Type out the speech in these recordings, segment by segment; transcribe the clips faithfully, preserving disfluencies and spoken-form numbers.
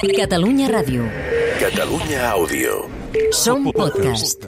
Catalunya Ràdio. Catalunya Àudio. Som podcast.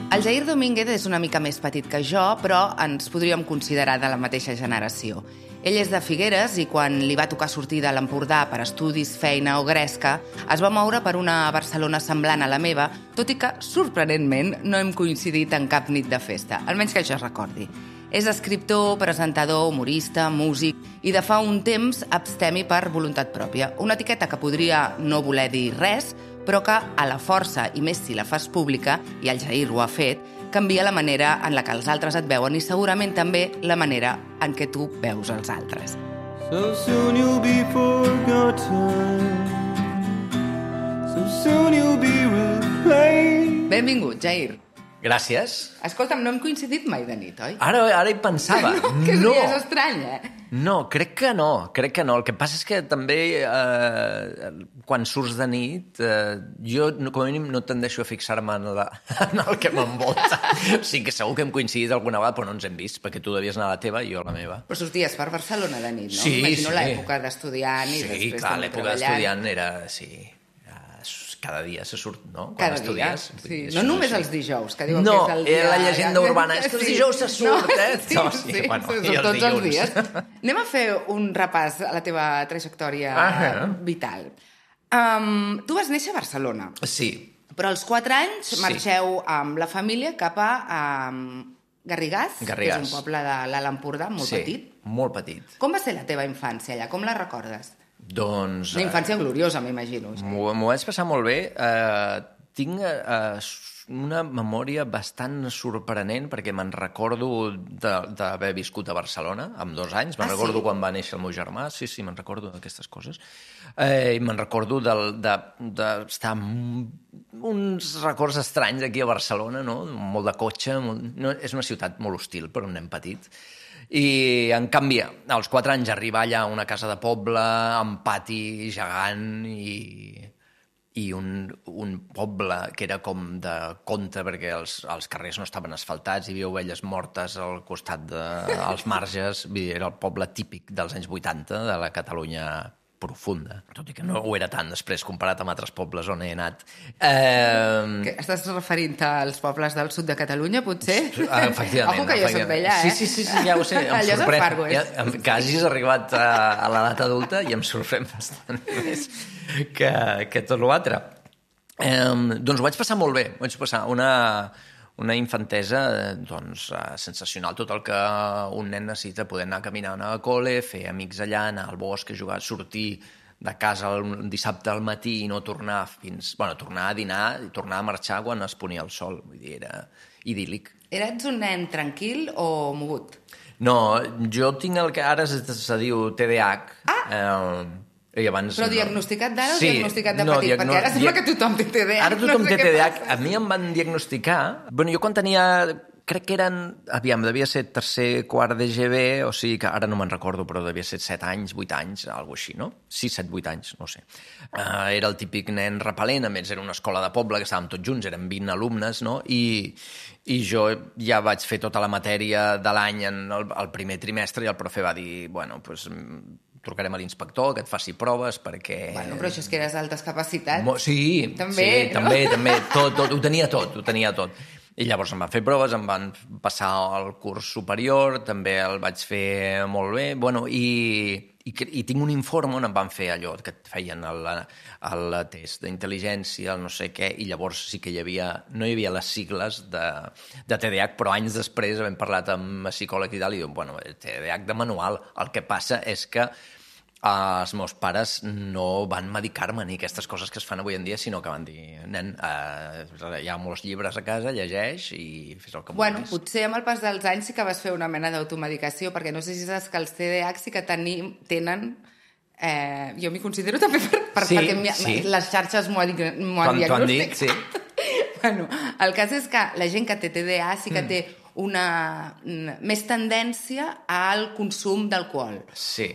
El Jair Domínguez és una mica més petit que jo, però ens podríem considerar de la mateixa generació. Ell és de Figueres i quan li va tocar sortir de l'Empordà per estudis, feina o gresca, es va moure per una Barcelona semblant a la meva, tot i que, sorprenentment, no hem coincidit en cap nit de festa, almenys que això es recordi. És escriptor, presentador, humorista, músic i de fa un temps abstemi per voluntat pròpia. Una etiqueta que podria no voler dir res, però que a la força, i més si la fas pública, i el Jair ho ha fet, canvia la manera en la que els altres et veuen i segurament també la manera en què tu veus els altres. So soon you'll be forgotten. So soon you'll be replaced. Benvingut, Jair. Gràcies. Escolta'm, no hem coincidit mai de nit, oi? Ara, ara hi pensava. No, que no. és estrany, eh? No, crec que no, crec que no. El que passa és que també eh, quan surts de nit, eh, jo com a mínim no tendeixo a fixar-me en, la, en el que m'envolta. O sigui que segur que hem coincidit alguna vegada, però no ens hem vist, perquè tu devies anar a la teva i jo a la meva. Però sorties per Barcelona de nit, no? Sí, Imagino sí. l'època d'estudiant i sí, després clar, també l'època treballant. d'estudiant era... Sí, cada dia se surt, no? Quan Cada estudies. dia, sí. No només els dijous, que diuen no, que és el dia... No, la llegenda urbana és que els dijous se surt, no, eh? Sí, no, sí, sí, bueno, són i els tots els dilluns. dies. Anem a fer un repàs a la teva trajectòria Ah, vital. Um, tu vas néixer a Barcelona, Sí. però als quatre anys Sí. marxeu amb la família cap a um, Garrigàs, Garrigàs, que és un poble de l'Alt Empordà, molt sí, petit. molt petit. Com va ser la teva infància allà? Com la recordes? Doncs... Una infància gloriosa, m'imagino. M'ho m'ho vaig passar molt bé. Eh, tinc eh, una memòria bastant sorprenent perquè me'n recordo d'haver viscut a Barcelona amb dos anys. Me'n Ah, recordo sí? quan va néixer el meu germà. Sí, sí, me'n recordo d'aquestes coses. Eh, I me'n recordo d'estar amb uns records estranys aquí a Barcelona, no? Molt de cotxe. Molt... No, és una ciutat molt hostil per un nen petit. I, en canvi, als quatre anys arribar allà a una casa de poble, amb pati gegant i, i un, un poble que era com de conte perquè els, els carrers no estaven asfaltats, hi havia ovelles mortes al costat dels de, marges, vull dir, era el poble típic dels anys vuitanta de la Catalunya profunda, tot i que no ho era tant després comparat amb altres pobles on he anat. Eh... Que estàs referint als pobles del sud de Catalunya, potser? Ah, efectivament. Ojo que jo soc d'allà, eh? Sí, sí, sí, sí, ja ho sé. Em Allò és el sorprèn. Far West. Ja, que hagis arribat a, a l'edat adulta i em sorprèn bastant més que, que tot l'altre. Eh, doncs ho vaig passar molt bé. Vaig passar una, una infantesa doncs, sensacional. Tot el que un nen necessita, poder anar caminant a col·le, fer amics allà, anar al bosc, jugar, sortir de casa un dissabte al matí i no tornar fins... Bueno, tornar a dinar i tornar a marxar quan es ponia el sol. Vull dir, era idíl·lic. Eres un nen tranquil o mogut? No, jo tinc el que ara es, se diu T D A H. Ah! Eh, i abans, Però no. diagnosticat d'ara o Sí, diagnosticat de no, petit? diagno- Perquè ara sembla dia- que tothom té T D A H. Ara tothom no sé té què T D A H. passa. A mi em van diagnosticar... Bueno, jo quan tenia... Crec que eren... Aviam, devia ser tercer, quart de G B, o sigui que ara no me'n recordo, però devia ser set anys, vuit anys, alguna així, no? sis, set, vuit anys, no sé. Uh, era el típic nen repel·lent, a més era una escola de poble que estàvem tots junts, eren vint alumnes, no? I, i jo ja vaig fer tota la matèria de l'any en el, el primer trimestre i el profe va dir, bueno, doncs... trucarem a l'inspector, que et faci proves, perquè... Bueno, però això és que eres d'altes capacitats. Mo sí, També, sí, no? també, també, tot, tot, ho tenia tot, ho tenia tot. I llavors em van fer proves, em van passar al curs superior, també el vaig fer molt bé, bueno, i, i, i tinc un informe on em van fer allò que et feien el, el test d'intel·ligència, el no sé què, i llavors sí que hi havia, no hi havia les sigles de, de T D A H, però anys després havent parlat amb psicòleg i tal, i diuen, bueno, T D A H de manual, el que passa és que els meus pares no van medicar-me ni aquestes coses que es fan avui en dia, sinó que van dir, nen, eh, hi ha molts llibres a casa, llegeix i fes el que Bueno, vulguis. potser amb el pas dels anys sí que vas fer una mena d'automedicació, perquè no sé si saps que els T D A H sí que tenim, tenen... Eh, jo m'hi considero també per, per, Sí, perquè sí. les xarxes m'ho han T'ho han- t'ho han dit, sí. Bueno, el cas és que la gent que té T D A H sí que Mm. té una mm, més tendència al consum d'alcohol. Sí.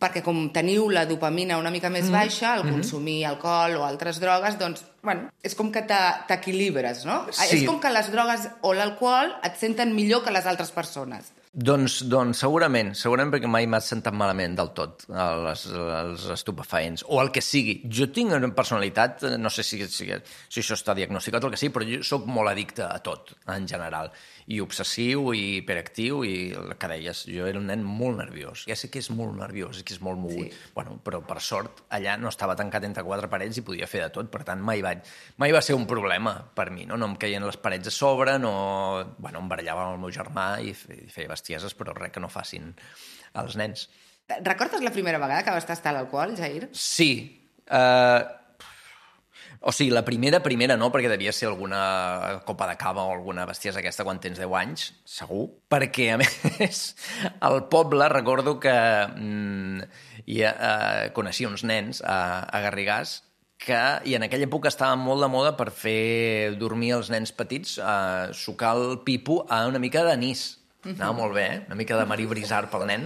Perquè com teniu la dopamina una mica més baixa, al consumir alcohol o altres drogues, doncs, bueno, és com que t'e- t'equilibres, no? Sí. És com que les drogues o l'alcohol et senten millor que les altres persones. Doncs, doncs segurament, segurament perquè mai m'ha sentat malament del tot els, els estupefaents, o el que sigui. Jo tinc una personalitat, no sé si, si, si això està diagnosticat o el que sigui, però jo sóc molt addicte a tot, en general, i obsessiu, i hiperactiu, i el que deies, jo era un nen molt nerviós. Ja sé que és molt nerviós, que és molt mogut, sí. Bueno, però per sort allà no estava tancat entre quatre parets i podia fer de tot, per tant mai, vaig, mai va ser un problema per mi, no? No em caien les parets a sobre, no... Bueno, em barallava amb el meu germà i feia bestieses, però res que no facin els nens. Recordes la primera vegada que vas tastar l'alcohol, Jair? Sí. Uh, o sigui, la primera, primera no, perquè devia ser alguna copa de cava o alguna bestiesa aquesta quan tens deu anys, segur. Perquè, a més, al poble recordo que mm, ja, uh, coneixia uns nens a, a Garrigàs que, i en aquella època estava molt de moda per fer dormir els nens petits, uh, sucar el pipo a una mica d'anís. Anava molt bé, eh? Una mica de Marí Brisar pel nen.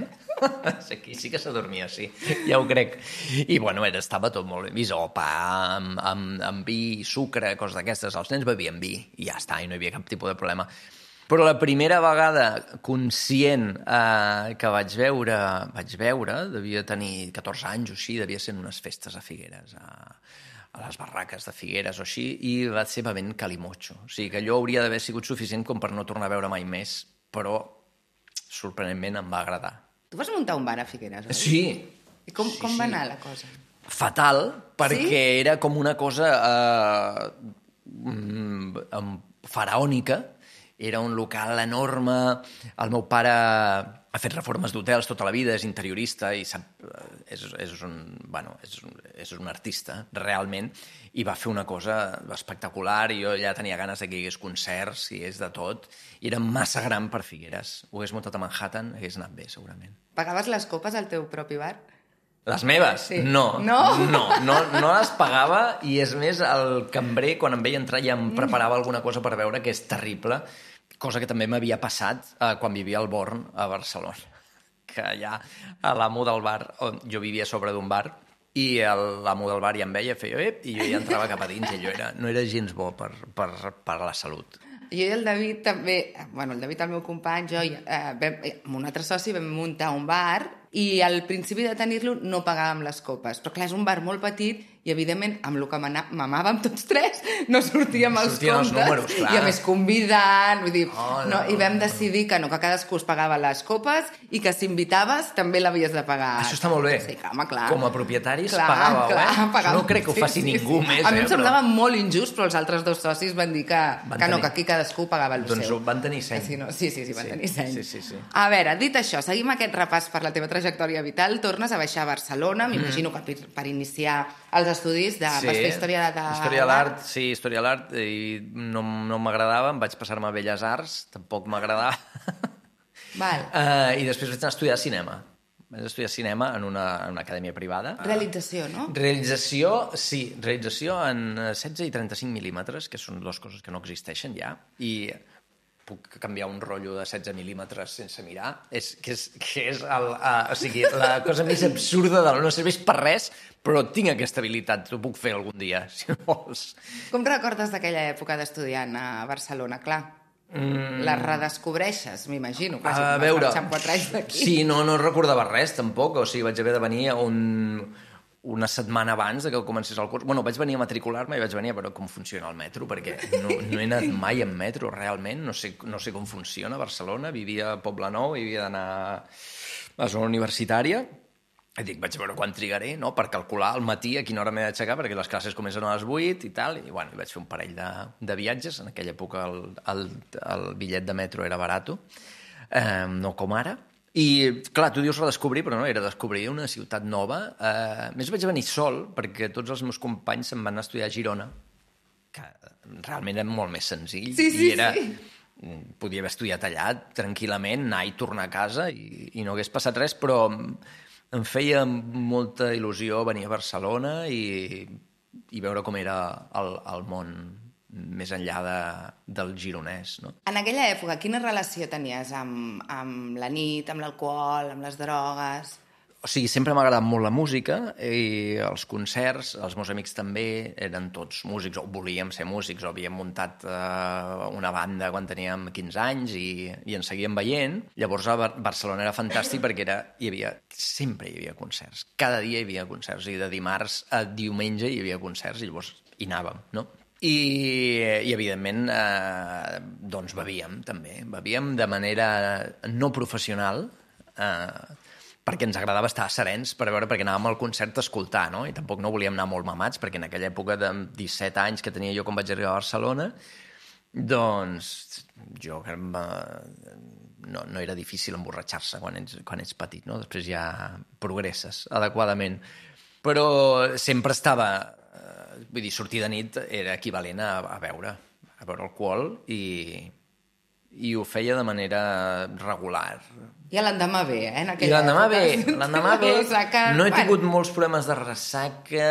Aquí sí que s'adormia, sí, ja ho crec. I, bueno, era, estava tot molt bé. Bisopa, amb, amb, amb vi, sucre, coses d'aquestes. Els nens bevien vi i ja està, i no hi havia cap tipus de problema. Però la primera vegada conscient eh, que vaig veure, vaig veure, devia tenir catorze anys o així, devia ser en unes festes a Figueres, a, a les barraques de Figueres o així, i va ser bevent calimocho. O sigui que allò hauria d'haver sigut suficient com per no tornar a veure mai més, però sorprenentment em va agradar. Tu vas muntar un bar a Figueres, oi? Sí. I com, sí, com va sí. anar la cosa? Fatal, perquè sí? era com una cosa eh, faraònica. Era un local enorme. El meu pare ha fet reformes d'hotels tota la vida, és interiorista i sap, és, és, un, bueno, és, un, és un artista, realment, i va fer una cosa espectacular, i jo ja tenia ganes que hi hagués concerts, i és de tot, i era massa gran per Figueres. Ho hagués muntat a Manhattan, hagués anat bé, segurament. Pagaves les copes al teu propi bar? Les meves? Sí. No. No? No, no, no les pagava, i és més, el cambrer, quan em veia entrar, ja em preparava alguna cosa per veure, que és terrible, cosa que també m'havia passat eh, quan vivia al Born, a Barcelona, que allà a l'amo del bar, on jo vivia a sobre d'un bar, i l'amo del bar ja em veia, feia ep, i jo ja entrava cap a dins, i allò era, no era gens bo per, per, per la salut. Jo i el David també, bueno, el David, el meu company, jo, eh, vam, amb un altre soci vam muntar un bar, i al principi de tenir-lo no pagàvem les copes. Però clar, és un bar molt petit i, evidentment, amb el que mamàvem tots tres, no sortíem els sortien comptes. Els números, clar. I a més convidant, vull dir, oh, no, no, i vam no, decidir que no, que cadascú es pagava les copes i que si invitaves també l'havies de pagar. Això està molt bé. Sí, home, clar. Com a propietaris clar, pagàveu, clar, eh? Pagàvem. No crec que ho faci sí, ningú sí. més. A mi em eh, semblava però... molt injust, però els altres dos socis van dir que, van que no, tenir... que aquí cadascú pagava el doncs seu. Doncs van tenir seny. Sí, no? sí, sí, sí, van sí, tenir seny. Sí, sí, sí. A veure, dit això, seguim aquest repàs per la teva trajectòria vital, tornes a baixar a Barcelona, m'imagino mm. que per, per iniciar els estudis de... Sí, vas fer història de... història de l'art, sí, història de l'art, i no, no m'agradava, em vaig passar-me a Belles Arts, tampoc m'agradava. Val. Uh, I després vaig anar a estudiar cinema. Vaig estudiar cinema en una, en una acadèmia privada. Realització, no? Realització, sí, realització en setze i trenta-cinc mil·límetres, que són dues coses que no existeixen ja, i puc canviar un rotllo de setze mil·límetres sense mirar, és, que és, que és el, uh, o sigui, la cosa més absurda del no serveix per res, però tinc aquesta habilitat, ho puc fer algun dia, si vols. Com recordes d'aquella època d'estudiant a Barcelona? Clar, mm. la redescobreixes, m'imagino. Clar, si a vas veure, marxar amb quatre anys d'aquí. Sí, no, no recordava res, tampoc, o sigui, vaig haver de venir un... una setmana abans de que comencés el curs. Bueno, vaig venir a matricular-me i vaig venir a veure com funciona el metro, perquè no, no he anat mai en metro, realment. No sé, no sé com funciona a Barcelona. Vivia a Poblenou i havia d'anar a la zona universitària. I dic, vaig veure quan trigaré, no?, per calcular al matí a quina hora m'he d'aixecar, perquè les classes comencen a les vuit i tal. I, bueno, i vaig fer un parell de, de viatges. En aquella època el, el, el bitllet de metro era barato, eh, no com ara. I, clar, tu dius redescobrir, però no, era descobrir una ciutat nova. Uh, més vaig venir sol, perquè tots els meus companys se'n van estudiar a Girona, que realment era molt més senzill. Sí, sí, i era, sí. Podia haver estudiat allà tranquil·lament, anar i tornar a casa, i, i no hagués passat res, però em feia molta il·lusió venir a Barcelona i, i veure com era el, el món més enllà de, del gironès, no? En aquella època, quina relació tenies amb, amb la nit, amb l'alcohol, amb les drogues? O sigui, sempre m'ha agradat molt la música i els concerts, els meus amics també eren tots músics, o volíem ser músics, o havíem muntat uh, una banda quan teníem quinze anys i, i ens seguíem veient. Llavors a Bar- Barcelona era fantàstic perquè era, hi havia, sempre hi havia concerts. Cada dia hi havia concerts i de dimarts a diumenge hi havia concerts i llavors hi anàvem, no? I, i evidentment, eh, doncs bevíem també. Bevíem de manera no professional, eh, perquè ens agradava estar serens per veure, perquè anàvem al concert a escoltar, no? I tampoc no volíem anar molt mamats, perquè en aquella època de disset anys que tenia jo quan vaig arribar a Barcelona, doncs jo no, no era difícil emborratxar-se quan ets, quan ets petit, no? Després ja progresses adequadament. Però sempre estava... Vull dir, sortir de nit era equivalent a, a beure, a beure alcohol i... i ho feia de manera regular. I l'endemà bé, eh? En I l'endemà bé, època. l'endemà bé. Ressaca, no he bueno. tingut molts problemes de ressaca.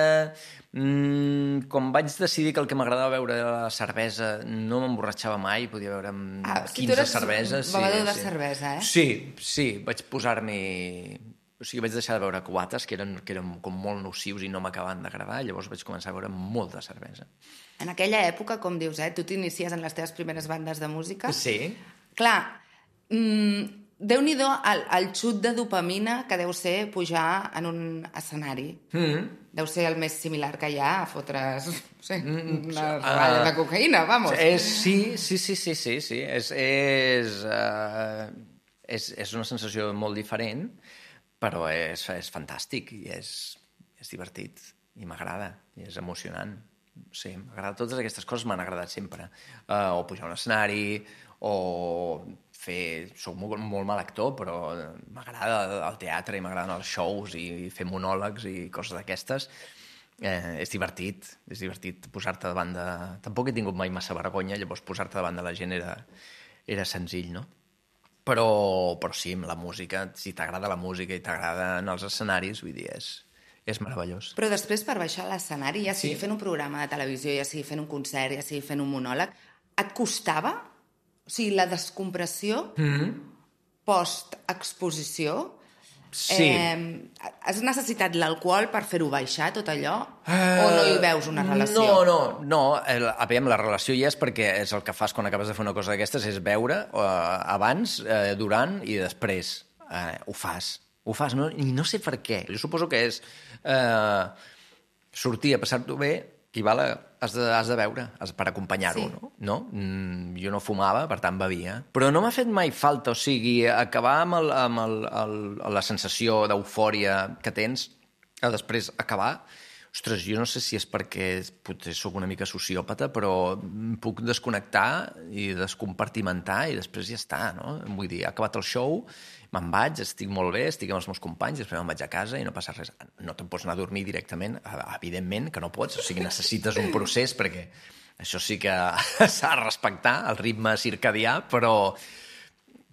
Mm, quan vaig decidir que el que m'agradava beure era la cervesa, no m'emborratxava mai, podia beure amb Ah, o sigui, quinze tu eres cerveses. bevedor de sí. cervesa, eh? Sí, sí, vaig posar-m'hi... O sigui, vaig deixar de beure quates, que eren, que eren com molt nocius i no m'acabaven d'agradar, llavors vaig començar a beure molta cervesa. En aquella època, com dius, eh? Tu t'inicies en les teves primeres bandes de música. Sí. Clar, mmm, déu-n'hi-do el, el xut de dopamina que deu ser pujar en un escenari. Mm. Deu ser el més similar que hi ha a fotre's, no sé, Mm, una uh, ratlla de cocaïna, vamos. És, sí, sí, sí, sí, sí, sí. És, és, uh, és, és una sensació molt diferent, però és, és fantàstic i és, és divertit i m'agrada i és emocionant. Sí, m'agrada. Totes aquestes coses m'han agradat sempre. Uh, o pujar a un escenari, o fer... Soc molt, molt mal actor, però m'agrada el teatre i m'agraden els shows i fer monòlegs i coses d'aquestes. Eh, és divertit, és divertit posar-te davant de... Tampoc he tingut mai massa vergonya, llavors posar-te davant de la gent era, era senzill, no? Però, però sí, la música, si t'agrada la música i t'agraden els escenaris, vull dir, és, és meravellós. Però després, per baixar a l'escenari, ja sigui Sí. fent un programa de televisió, ja sigui fent un concert, ja sigui fent un monòleg, et costava? O sigui, la descompressió Mm-hmm. post-exposició? Sí. Eh, has necessitat l'alcohol per fer-ho baixar, tot allò? O no hi veus una relació? No, no, no. El, a veure, la relació hi és perquè és el que fas quan acabes de fer una cosa d'aquestes, és veure eh, abans, eh, durant i després. Eh, ho fas. Ho fas, no? I no sé per què. Jo suposo que és eh, sortir a passar-t'ho bé, i val, has de, has de beure has, per acompanyar-ho, Sí. no? no? Mm, jo no fumava, per tant bevia. Però no m'ha fet mai falta, o sigui, acabar amb, el, amb el, el, la sensació d'eufòria que tens, a després acabar... Ostres, jo no sé si és perquè potser sóc una mica sociòpata, però em puc desconnectar i descompartimentar i després ja està, no? Vull dir, ha acabat el show, me'n vaig, estic molt bé, estic amb els meus companys, després me'n vaig a casa i no passa res. No te'n pots anar a dormir directament, evidentment que no pots, o sigui, necessites un procés perquè això sí que s'ha de respectar, el ritme circadià, però,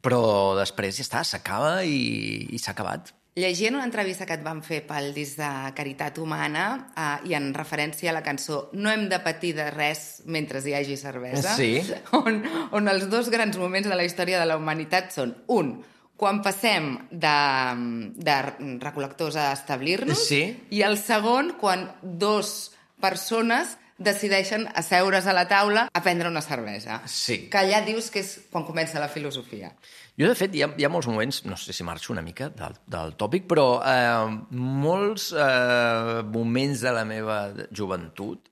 però després ja està, s'acaba i, i s'ha acabat. Llegint una entrevista que et van fer pel disc de Caritat Humana eh, i en referència a la cançó No hem de patir de res mentre hi hagi cervesa, Sí. on, on els dos grans moments de la història de la humanitat són, un, quan passem de, de recol·lectors a establir-nos, Sí. i el segon, quan dos persones decideixen asseure's a la taula a prendre una cervesa. Sí. Que allà dius que és quan comença la filosofia. Jo, de fet, hi ha, hi ha molts moments, no sé si marxo una mica del, del tòpic, però eh, molts eh, moments de la meva joventut,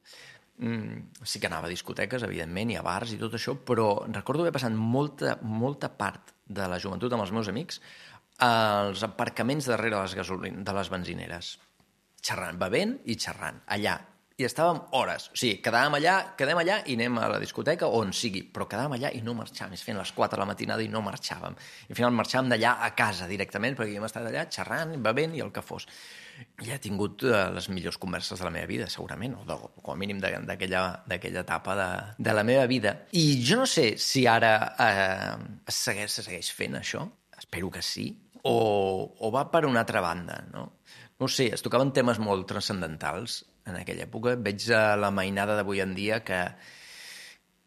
mm, sí que anava a discoteques, evidentment, i a bars i tot això, però recordo haver passat molta, molta part de la joventut amb els meus amics als aparcaments darrere les, gasolin... de les benzineres, xerrant, bevent i xerrant, allà. I estàvem hores. O sigui, quedàvem allà, quedem allà i anem a la discoteca on sigui, però quedàvem allà i no marxàvem. És fent les quatre de la matinada i no marxàvem. I al final marxàvem d'allà a casa directament, perquè havíem estat allà xerrant, bevent i el que fos. Ja he tingut uh, les millors converses de la meva vida, segurament, o, de, o com a mínim d'aquella etapa de, de la meva vida. I jo no sé si ara eh, es segueix, se segueix fent això, espero que sí, o, o va per una altra banda, no? No ho sé, es tocaven temes molt transcendentals en aquella època. Veig a la mainada d'avui en dia que,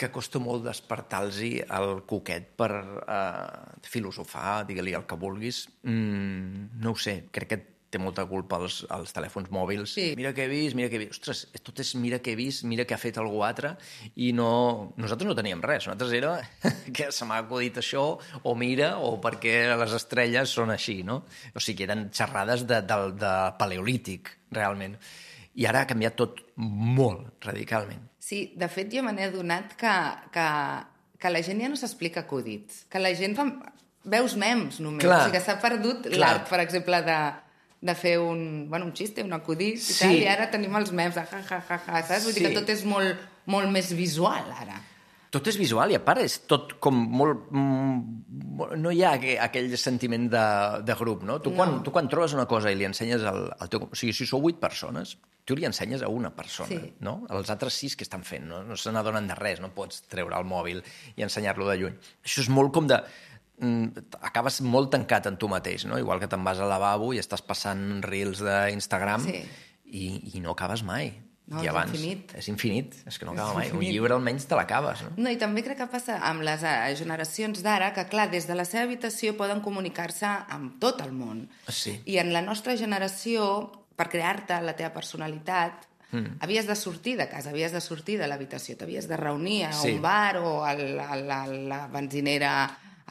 que costa molt despertar-los el coquet per uh, filosofar, digue-li el que vulguis. Mm, no ho sé, crec que té molta culpa els, els telèfons mòbils. Sí. Mira què he vist, mira què he vist. Ostres, tot és mira què he vist, mira què ha fet algú altre, i no... Nosaltres no teníem res. Nosaltres era que se m'ha acudit això, o mira, o perquè les estrelles són així, no? O sigui, eren xerrades de, de, de paleolític, realment. I ara ha canviat tot molt, radicalment. Sí, de fet, jo me n'he adonat que, que, que la gent ja no s'explica acudits. Que la gent fa... Veus memes, només. Clar. O sigui, que s'ha perdut Clar. l'art, per exemple, de, de fer un, bueno, un xiste, un acudit i Sí. tal, i ara tenim els memes de ja, ja, ja, ja, saps? Vull dir Sí. que tot és molt, molt més visual, ara. Tot és visual i, a part, és tot com molt... Mm, no hi ha aqu aquell sentiment de, de grup, no? Tu, no. Quan, tu quan trobes una cosa i li ensenyes al, al teu... O sigui, si sou vuit persones, tu li ensenyes a una persona, Sí. no? Els altres sis que estan fent, no? No se n'adonen de res, no pots treure el mòbil i ensenyar-lo de lluny. Això és molt com de... acabes molt tancat en tu mateix, no? Igual que te'n vas al lavabo i estàs passant reels d'Instagram Sí. i, i no acabes mai. No, I és abans, infinit. És infinit, és que no acaba És mai. Un infinit. llibre almenys te l'acabes, no? No, i també crec que passa amb les eh, generacions d'ara, que clar, des de la seva habitació poden comunicar-se amb tot el món. Sí. I en la nostra generació, per crear-te la teva personalitat, mm. havies de sortir de casa, havies de sortir de l'habitació, t'havies de reunir a Sí. un bar o a la, a la, a la benzinera,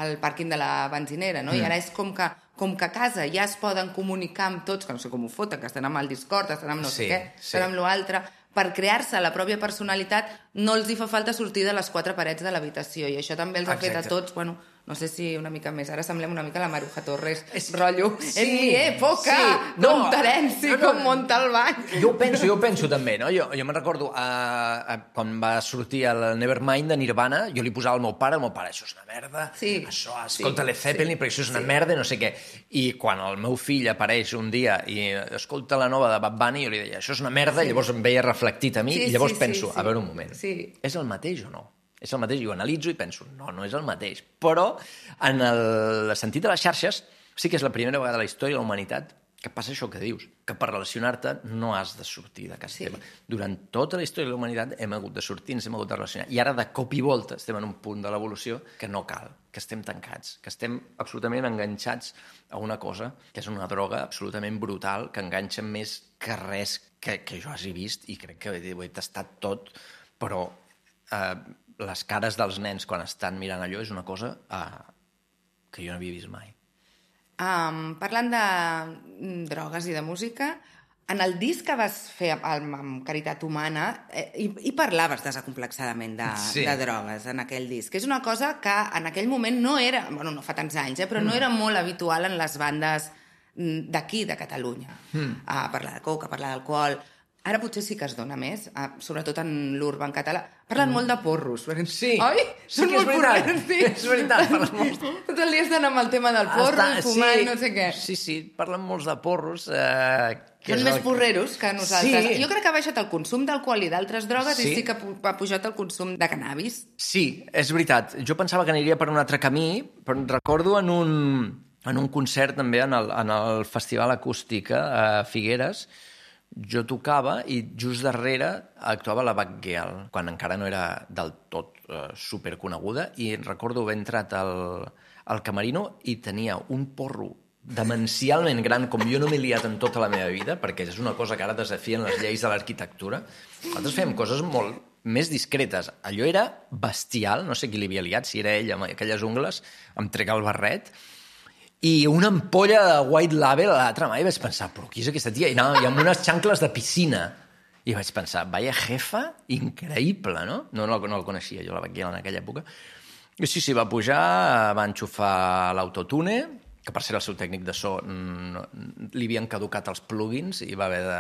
al pàrquing de la benzinera, no? Mm. I ara és com que, com que a casa ja es poden comunicar amb tots, que no sé com ho foten, que estan amb el Discord, estan amb no Sí, sé què, sí. estan amb l'altre, per crear-se la pròpia personalitat no els hi fa falta sortir de les quatre parets de l'habitació, i això també els ha fet a Exacte. tots, bueno, no sé si una mica més, ara semblem una mica la Maruja Torres, És- rotllo, Sí, en mi època, sí. no, No, com Terenci, no, no. com Montalbán. Jo ho penso, jo ho penso també, no? Jo, jo me'n recordo, uh, uh, quan va sortir el Nevermind de Nirvana, jo li posava al meu pare, el meu pare, això és una merda, Sí. això, Sí, escolta Led Zeppelin, sí, perquè això és una sí. merda, no sé què. I quan el meu fill apareix un dia i escolta la nova de Bad Bunny, jo li deia, això és una merda, Sí. i llavors em veia reflectit a mi, Sí, i llavors sí, penso, sí, sí. a veure un moment, Sí. és el mateix o no? És el mateix, i ho analitzo i penso, no, no és el mateix. Però, en el sentit de les xarxes, sí que és la primera vegada a la història de la humanitat que passa això que dius, que per relacionar-te no has de sortir de casa Sí. teva. Durant tota la història de la humanitat hem hagut de sortir, ens hem hagut de relacionar. I ara, de cop i volta, estem en un punt de l'evolució que no cal, que estem tancats, que estem absolutament enganxats a una cosa, que és una droga absolutament brutal, que enganxa més que res que, que jo hagi vist, i crec que ho he tastat tot, però eh, les cares dels nens quan estan mirant allò és una cosa eh, que jo no havia vist mai. Um, parlant de mm, drogues i de música, en el disc que vas fer amb, amb Caritat Humana eh, hi, hi parlaves desacomplexadament de, Sí. de drogues en aquell disc. És una cosa que en aquell moment no era, bueno, no fa tants anys, eh, però no era molt habitual en les bandes mm, d'aquí, de Catalunya. Mm. A parlar de coca, a parlar d'alcohol. Ara potser sí que es dona més, eh, sobretot en l'urban català. Parlen mm. molt de porros. Sí, Oi? sí Són que és molt veritat. porrers, sí. És veritat, parlen molt. Tot el dia estan amb el tema del porro, Està- fumar sí, i no sé què. Sí, sí, parlen molts de porros. Eh, que Són és més el- porreros que nosaltres. Sí. Jo crec que ha baixat el consum d'alcohol i d'altres drogues Sí. i sí que pu- ha pujat el consum de cannabis. Sí, és veritat. Jo pensava que aniria per un altre camí, però recordo en un, en un concert també en el, en el Festival Acústica a Figueres, jo tocava i just darrere actuava la Batgirl, quan encara no era del tot eh, superconeguda, i recordo haver entrat al, al camerino i tenia un porro demencialment gran, com jo no m'he liat en tota la meva vida, perquè és una cosa que ara desafien les lleis de l'arquitectura. Nosaltres fèiem coses molt més discretes. Allò era bestial, no sé qui li havia liat, si era ell amb aquelles ungles, em trec el barret, i una ampolla de White Label a l'altra mà, i vaig pensar, però qui és aquesta tia? I anava i amb unes xancles de piscina. I vaig pensar, vaya jefa, increïble, no? No, no, no el coneixia jo, la Batgirl, en aquella època. I sí, sí, va pujar, va enxufar l'autotune, que per ser el seu tècnic de so no, li havien caducat els plugins i va haver de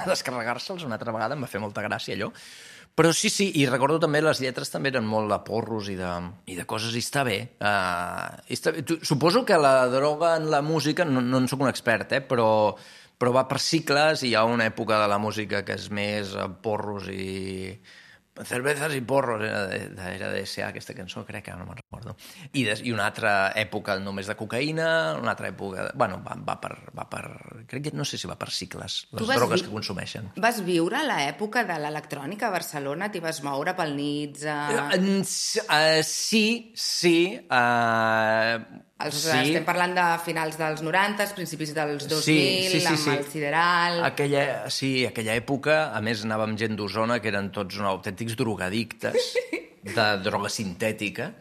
descarregar-se'ls una altra vegada, em va fer molta gràcia allò. Però sí, sí, i recordo també les lletres també eren molt de porros i de, i de coses, i està bé. Uh, i està bé. Tu, suposo que la droga en la música, no, no en soc un expert, eh, però, però va per cicles, i hi ha una època de la música que és més uh, porros i... Cervezas i porros, era de, de, era de S A aquesta cançó, crec que no me'n recordo. I, des, I una altra època només de cocaïna, una altra època... Bueno, va, va, per, va per... Crec que no sé si va per cicles, les drogues vi... que consumeixen. Vas viure l'època de l'electrònica a Barcelona? T'hi vas moure pel Nits? A... Uh, uh, sí, sí. Uh, Els, Sí. Estem parlant de finals dels noranta, principis dels dos Sí, mil, sí, sí, amb sí. el sideral... Aquella, sí, aquella època, a més anàvem gent d'Osona que eren tots uns autèntics drogadictes de droga sintètica,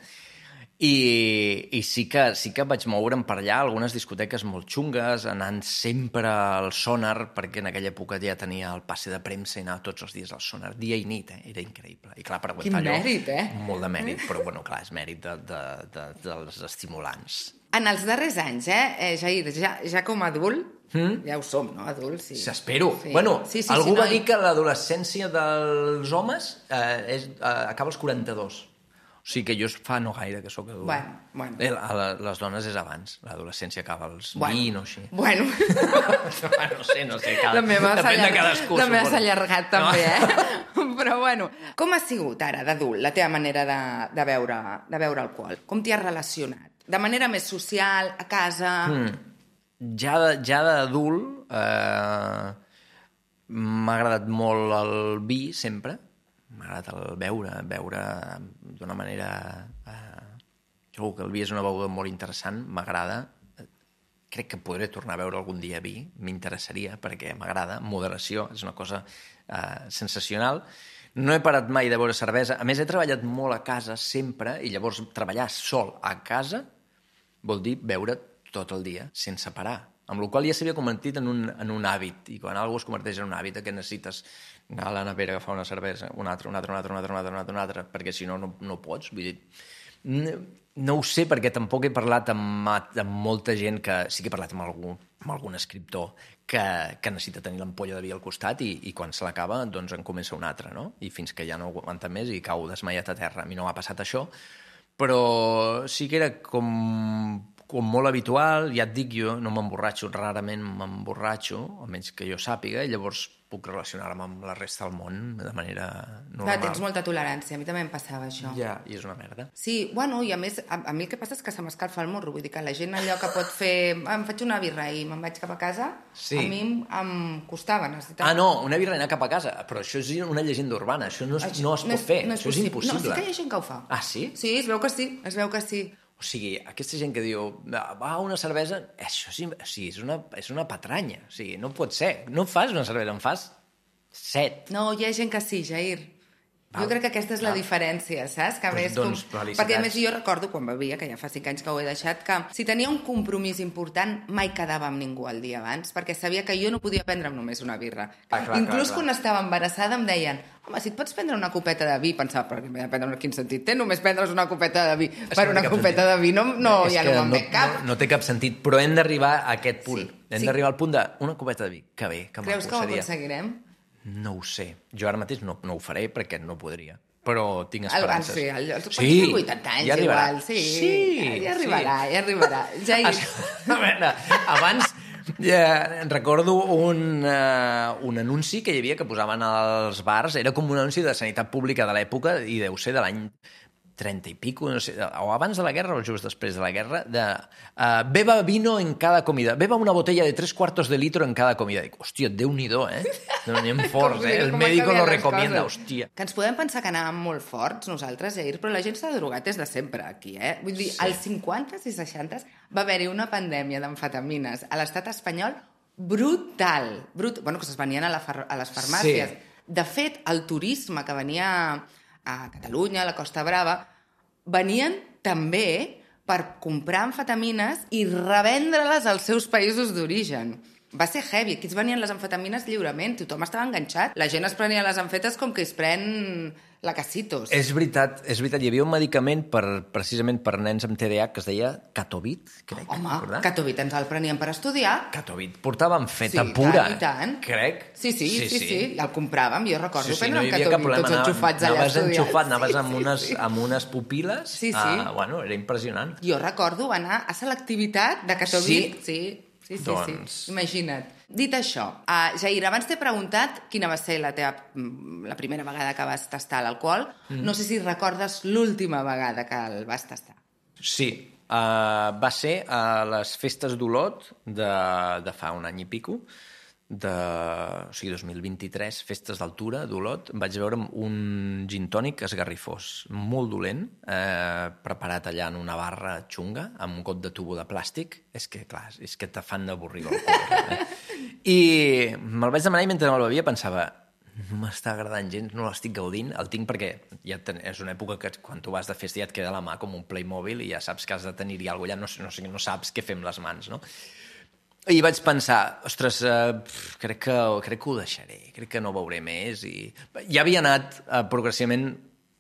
i, i sí, que, sí que vaig moure'm per allà, algunes discoteques molt xungues, anant sempre al Sonar, perquè en aquella època ja tenia el passe de premsa i anava tots els dies al Sonar, dia i nit, eh? Era increïble. I clar, per aguantar Quin allò... mèrit, eh? Molt de mèrit, però bueno, clar, és mèrit de, de, de, dels estimulants. En els darrers anys, eh, eh Jair, ja, ja com a adult, mm? ja ho som, no, adults? Sí. S'espero. Sí. Bueno, sí, sí, algú sí, va no, dir que l'adolescència dels homes eh, és, eh, acaba als quaranta-dos. O sigui que jo fa no gaire que sóc adult. Bueno, bueno. Eh, a la, les dones és abans. L'adolescència acaba als Bueno. vint o així. Bueno, no sé, no sé. Cada, la meva s'ha depèn de allargat, cadascú. la meva suposo. s'ha allargat també, eh? Però bueno, com ha sigut ara d'adult la teva manera de, de, veure, de veure alcohol? Com t'hi has relacionat? De manera més social, a casa... Mm. Ja, de, ja d'adult eh, m'ha agradat molt el vi, sempre. M'ha agradat el beure, beure d'una manera... Eh, trobo que el vi és una beguda molt interessant, m'agrada. Crec que podré tornar a beure algun dia vi, m'interessaria, perquè m'agrada. Moderació és una cosa eh, sensacional. No he parat mai de beure cervesa. A més, he treballat molt a casa, sempre, i llavors treballar sol a casa vol dir beure tot el dia, sense parar. Amb la qual cosa ja s'havia convertit en un, en un hàbit, i quan algú es converteix en un hàbit, que necessites anar a la nevera, agafar una cervesa, una altra, una altra, una altra, una altra, una altra, una altra, una altra perquè si no, no, no pots. Vull dir, no, no ho sé, perquè tampoc he parlat amb, amb molta gent que... Sí que he parlat amb algú, amb algun escriptor que, que necessita tenir l'ampolla de vi al costat i, i quan se l'acaba, doncs en comença una altra, no? I fins que ja no aguanta més i cau desmaiat a terra. A mi no m'ha passat això, però sí que era com... com molt habitual, ja et dic, jo no m'emborratxo, rarament m'emborratxo, almenys que jo sàpiga, i llavors puc relacionar-me amb la resta del món de manera normal. Clar, tens molta tolerància, a mi també em passava això. Ja, i és una merda. Sí, bueno, i a més, a, a mi el que passa és que se m'escalfa el morro, vull dir que la gent allò que pot fer... Em faig una birra i me'n vaig cap a casa, Sí. a mi em, em costava, necessitava... Ah, no, una birra i anar cap a casa, però això és una llegenda urbana, això no es, Això no es pot fer, no això és impossible. No, sí que hi ha gent que ho fa. Ah, sí? Sí, es veu que sí, es veu que sí. O sigui, aquesta gent que diu, va, una cervesa, això sí, o sigui, és, una, és una patranya. O sigui, no pot ser. No fas una cervesa, en fas set. No, hi ha gent que sí, Jair. Val. Jo crec que aquesta és la Val. diferència, saps? Que a Pues més, doncs, com... felicitats. Perquè a més jo recordo quan bevia, que ja fa cinc anys que ho he deixat, que si tenia un compromís important mai quedava amb ningú el dia abans, perquè sabia que jo no podia prendre'm només una birra. Ah, clar, Inclús clar, clar. quan estava embarassada em deien, home, si et pots prendre una copeta de vi, pensava, però m'he de prendre, quin sentit té només prendre's una copeta de vi? És Per que no una té cap copeta sentit. de vi no, no És ja que no me'n ve cap. No, no té cap sentit, però hem d'arribar a aquest punt. Sí, Hem sí. d'arribar al punt d'una copeta de vi. Que bé, que Creus maco que ho seria. aconseguirem? No ho sé. Jo ara mateix no, no ho faré perquè no podria. Però tinc El, esperances. sí, el, el, Sí, sí, vuitanta anys ja arribarà. igual, sí, Sí, ja, ja arribarà, sí. ja arribarà. Jair, A veure, abans ja, recordo un, uh, un anunci que hi havia que posaven als bars, era com un anunci de sanitat pública de l'època i deu ser de l'any trenta i pico, no sé, o abans de la guerra o just després de la guerra, de uh, beba vino en cada comida, beba una botella de tres cuartos de litro en cada comida. Dic, hòstia, Déu-n'hi-do, eh? Anem forts, eh? El Com médico han lo canviat les recomienda, coses. hòstia. Que ens podem pensar que anàvem molt forts nosaltres, Jair, però la gent s'ha drogat des de sempre aquí, eh? Vull dir, Sí. als cinquantes i seixantes va haver-hi una pandèmia d'amfetamines a l'estat espanyol brutal. Brut... Bueno, que es venien a, la far... a les farmàcies. Sí. De fet, el turisme que venia a Catalunya, a la Costa Brava, venien també per comprar amfetamines i revendre-les als seus països d'origen. Va ser heavy. Aquí es venien les amfetamines lliurement. Tothom estava enganxat. La gent es prenia les amfetes com que es pren la Casitos. És veritat, és veritat. Hi havia un medicament per, precisament per nens amb T D A H que es deia Catovit, crec. Home, recordar? Catovit ens el prenien per estudiar. Catovit. Portàvem feta Sí, pura. tant, i tant. Crec. Sí, sí, sí, sí, sí. El compràvem. Jo recordo Sí, sí, prendre no un hi havia cap Catovit, problema. tots enxufats allà anaves estudiant. enxufat, anaves Sí, amb, sí, unes, sí. amb unes pupil·les. Sí, sí. Uh, bueno, era impressionant. Jo recordo anar a selectivitat de Catovit. Sí? Sí, sí, sí, Doncs- sí. Imagina't. Dit això, uh, Jair, abans t'he preguntat quina va ser la teva la primera vegada que vas tastar l'alcohol. Mm. No sé si recordes l'última vegada que el vas tastar. Sí, uh, va ser a les festes d'Olot de, de fa un any i pico. de, o sigui, dos mil vint-i-tres, festes d'altura d'Olot, vaig veure un gin tònic esgarrifós, molt dolent, eh, preparat allà en una barra xunga, amb un got de tubo de plàstic. És que, clar, és que te fan d'avorrir el cor. Eh? I me'l vaig demanar i mentre me'l bevia pensava, no m'està agradant gens, no l'estic gaudint, el tinc perquè ja ten... és una època que quan tu vas de festa ja et queda a la mà com un Playmobil i ja saps que has de tenir-hi alguna cosa, ja no, no, no saps què fer amb les mans, no? I vaig pensar, ostres, uh, crec, que, crec que ho deixaré, crec que no beuré més. I ja havia anat uh, progressivament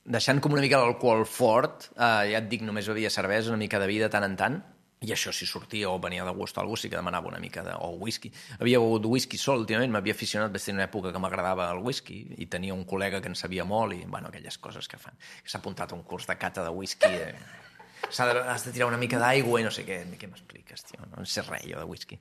deixant com una mica l'alcohol fort, uh, ja et dic, només bevia cervesa, una mica de vi de tant en tant, i això si sortia o venia de gust o alguna cosa sí que demanava una mica de... o whisky. Havia begut whisky sol, últimament m'havia aficionat, vaig tenir una època que m'agradava el whisky i tenia un col·lega que en sabia molt i, bueno, aquelles coses que fan. S'ha apuntat a un curs de cata de whisky... Eh... De, has de tirar una mica d'aigua i no sé què. Què m'expliques, tio? No en sé res, jo, de whisky.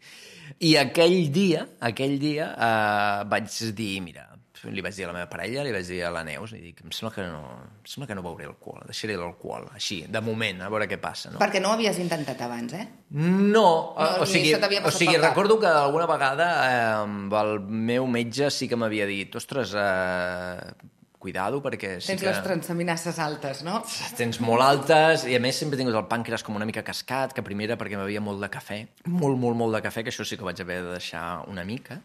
I aquell dia, aquell dia, eh, vaig dir, mira, li vaig dir a la meva parella, li vaig dir a la Neus, i dic, em sembla que no, em sembla que no beuré alcohol, deixaré l'alcohol, així, de moment, a veure què passa. No? Perquè no ho havies intentat abans, eh? No, no o sigui, o sigui recordo que alguna vegada eh, amb el meu metge sí que m'havia dit, ostres, eh, cuidado, perquè sí tens que... les transaminasses altes, no? Tens molt altes, i a més sempre he tingut el pàncreas com una mica cascat, que primera perquè bevia molt de cafè, molt, molt, molt de cafè, que això sí que vaig haver de deixar una mica,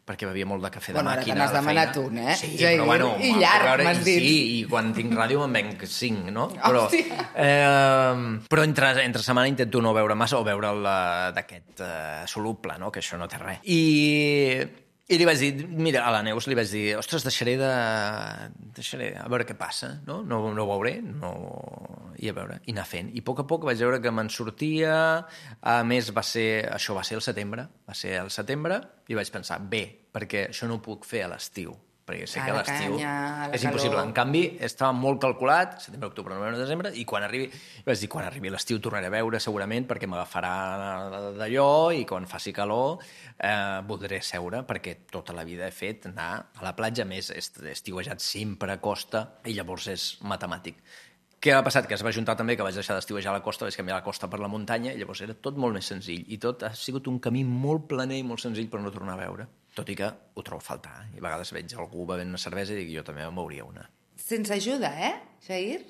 perquè bevia molt de cafè de bueno, màquina. Bueno, ara te n'has demanat un, eh? Sí, ja, però bueno... I llarg, veure, m'has dit. Sí, i quan tinc ràdio me'n venc cinc, no? Però, eh, però entre, entre setmana intento no beure massa o beure d'aquest eh, soluble, no? Que això no té res. I... I li vaig dir, mira, a la Neus li vaig dir, ostres, deixaré de... deixaré a veure què passa, no? No, no ho veuré, no... i a veure, i anar fent. I a poc a poc vaig veure que me'n sortia, a més va ser, això va ser el setembre, va ser el setembre, i vaig pensar, bé, perquè això no ho puc fer a l'estiu, perquè sé a que a l'estiu és calor. impossible. En canvi, estava molt calculat, setembre, octubre, novembre, desembre, i quan arribi, vaig dir, quan arribi l'estiu tornaré a veure segurament perquè m'agafarà d'allò i quan faci calor eh, voldré seure perquè tota la vida he fet anar a la platja, a més he estiuejat sempre a costa i llavors és matemàtic. Què ha passat? Que es va juntar també que vaig deixar d'estiuejar a la costa, vaig canviar la costa per la muntanya i llavors era tot molt més senzill i tot ha sigut un camí molt planer i molt senzill per no tornar a veure. Tot i que ho trobo a faltar. I a vegades veig algú bevent una cervesa i dic, jo també me'n beuria una. Sense ajuda, eh, Jair?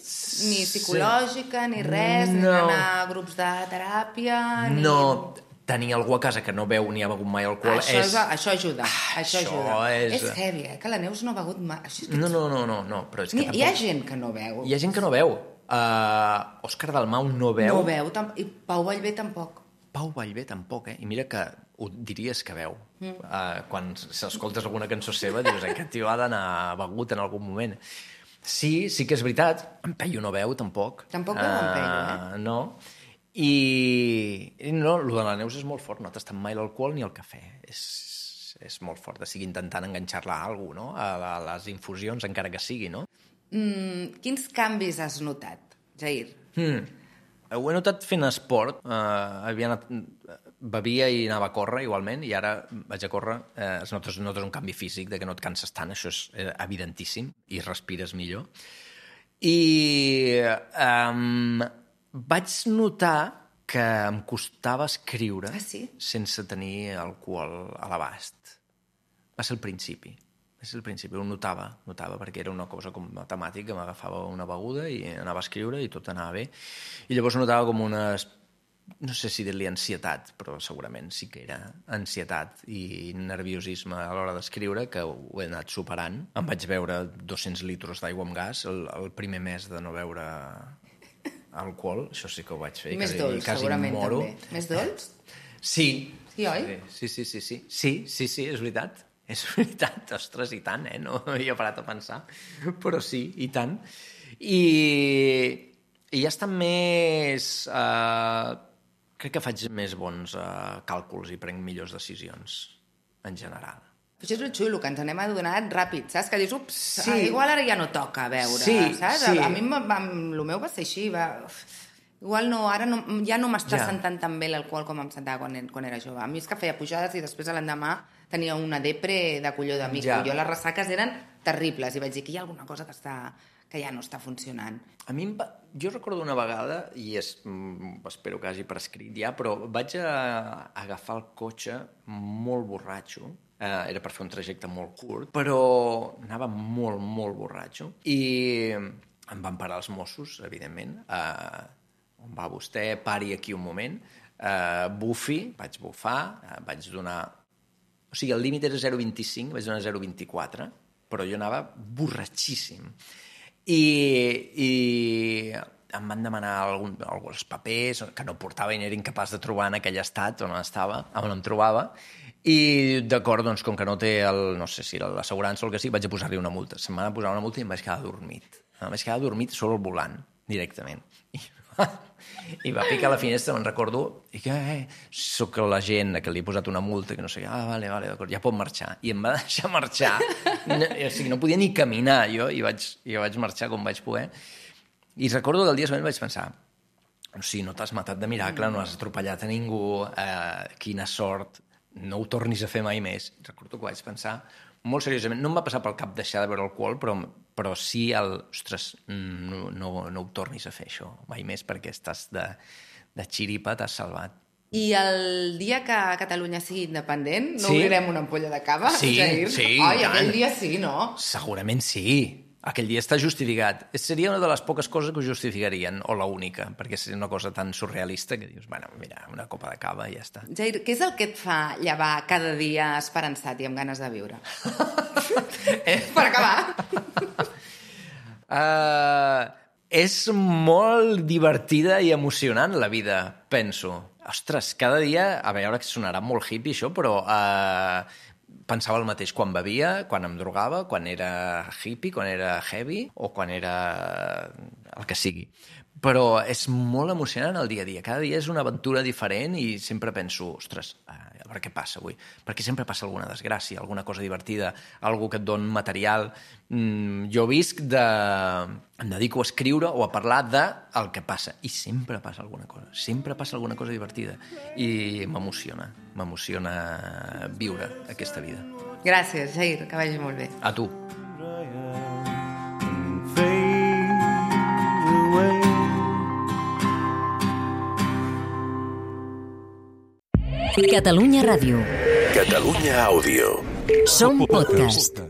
Ni psicològica, ni res, no. ni anar a grups de teràpia, ni... No, tenir algú a casa que no beu ni ha begut mai alcohol això és... és... Això ajuda, ah, això, això ajuda. És... és heavy, eh, que la Neus no ha begut mai. Això és que... No, no, no, no, no, però és que Ni, tampoc... Hi ha gent que no veu. Hi ha gent que no veu. Uh, Òscar Dalmau no veu. No veu, tam... i Pau Vallvé tampoc. Pau Vallvé tampoc, eh? I mira que ho diries que veu. Mm. Uh, quan s'escoltes alguna cançó seva dius, aquest tio ha d'anar begut en algun moment. Sí, sí que és veritat. En Peyu no veu, tampoc. Tampoc veu en Peyu, eh? No. I, i no, el de la Neus és molt fort. No ha tastat mai l'alcohol ni el cafè. És, és molt fort. De sigui intentant enganxar-la a alguna cosa, no? A, a les infusions, encara que sigui, no? Mm, quins canvis has notat, Jair? Hmm. Ho he notat fent esport. Uh, havia anat, bevia i anava a córrer igualment, i ara vaig a córrer. Uh, es notes, notes un canvi físic, de que no et canses tant, això és evidentíssim, i respires millor. I um, vaig notar que em costava escriure ah, sí? sense tenir alcohol a l'abast. Va ser el principi. És el principi, ho notava, notava, perquè era una cosa com matemàtica, que m'agafava una beguda i anava a escriure i tot anava bé. I llavors notava com una, no sé si dir-li ansietat, però segurament sí que era ansietat i nerviosisme a l'hora d'escriure, que ho he anat superant. Em vaig beure dos-cents litres d'aigua amb gas el, el primer mes de no beure alcohol, això sí que ho vaig fer. I més quasi, dolç, quasi segurament, moro. també. Més dolç? Sí. Sí, oi? Sí, sí, sí, sí. Sí, sí, sí, és veritat. És veritat, ostres, i tant, eh? No havia parat a pensar, però sí, i tant. I, i ja estan més... Uh, crec que faig més bons uh, càlculs i prenc millors decisions, en general. Això és el xulo, que ens anem adonant ràpid, saps? Que dius, ups, sí. igual ara ja no toca veure, sí, saps? Sí. A, a mi, el meu va ser així, va... Igual no, ara no, ja no m'està ja. sentant tan bé l'alcohol com em sentava quan, quan era jove. A mi és que feia pujades i després a l'endemà tenia una depre de colló de mico. Ja. Jo les ressaques eren terribles i vaig dir que hi ha alguna cosa que està, que ja no està funcionant. A mi, em va... jo recordo una vegada, i és, espero que hagi prescrit ja, però vaig a agafar el cotxe molt borratxo, eh, era per fer un trajecte molt curt, però anava molt, molt borratxo, i em van parar els Mossos, evidentment, eh, on va vostè, pari aquí un moment, eh, bufi, vaig bufar, eh, vaig donar... O sigui, el límit era zero coma vint-i-cinc, vaig donar zero coma vint-i-quatre, però jo anava borratxíssim. I, i em van demanar algun, alguns papers que no portava i n'era incapaç de trobar en aquell estat on estava, on em trobava, i d'acord, doncs, com que no té el, no sé si l'assegurança o el que sigui, vaig a posar-li una multa. Se'm va posar una multa i em vaig quedar dormit. Em vaig quedar dormit sobre el volant, directament. I, i va picar a la finestra, me'n recordo, i que eh, soc l'agent que li he posat una multa, que no sé què, ah, vale, vale, d'acord, ja pot marxar. I em va deixar marxar. No, o sigui, no podia ni caminar, jo, i vaig, i vaig marxar com vaig poder. I recordo que el dia següent vaig pensar, o sigui, no t'has matat de miracle, no has atropellat a ningú, eh, quina sort, no ho tornis a fer mai més. Recordo que vaig pensar molt seriosament. No em va passar pel cap deixar de beure alcohol, però, però sí el... Ostres, no, no, no ho tornis a fer, això, mai més, perquè estàs de, de xiripa, t'has salvat. I el dia que Catalunya sigui independent, no sí? obrirem una ampolla de cava, sí, Jair? Sí, Ai, aquell dia sí, no? Segurament sí. Aquell dia està justificat. Seria una de les poques coses que ho justificarien, o l'única, perquè seria una cosa tan surrealista que dius, bueno, mira, una copa de cava i ja està. Jair, què és el que et fa llevar cada dia esperançat i amb ganes de viure? Per acabar. uh, és molt divertida i emocionant la vida, penso. Ostres, cada dia, a veure que sonarà molt hippie això, però... Uh, pensava el mateix quan bevia, quan em drogava, quan era hippie, quan era heavy o quan era el que sigui. Però és molt emocionant el dia a dia. Cada dia és una aventura diferent i sempre penso, ostres, a veure què passa avui. Perquè sempre passa alguna desgràcia, alguna cosa divertida, algú que et dona material. Mm, jo visc de... Em dedico a escriure o a parlar del que passa. I sempre passa alguna cosa. Sempre passa alguna cosa divertida. I m'emociona. M'emociona viure aquesta vida. Gràcies, Jair, que vagi molt bé. A tu. Catalunya Ràdio. Catalunya Àudio. Som podcast.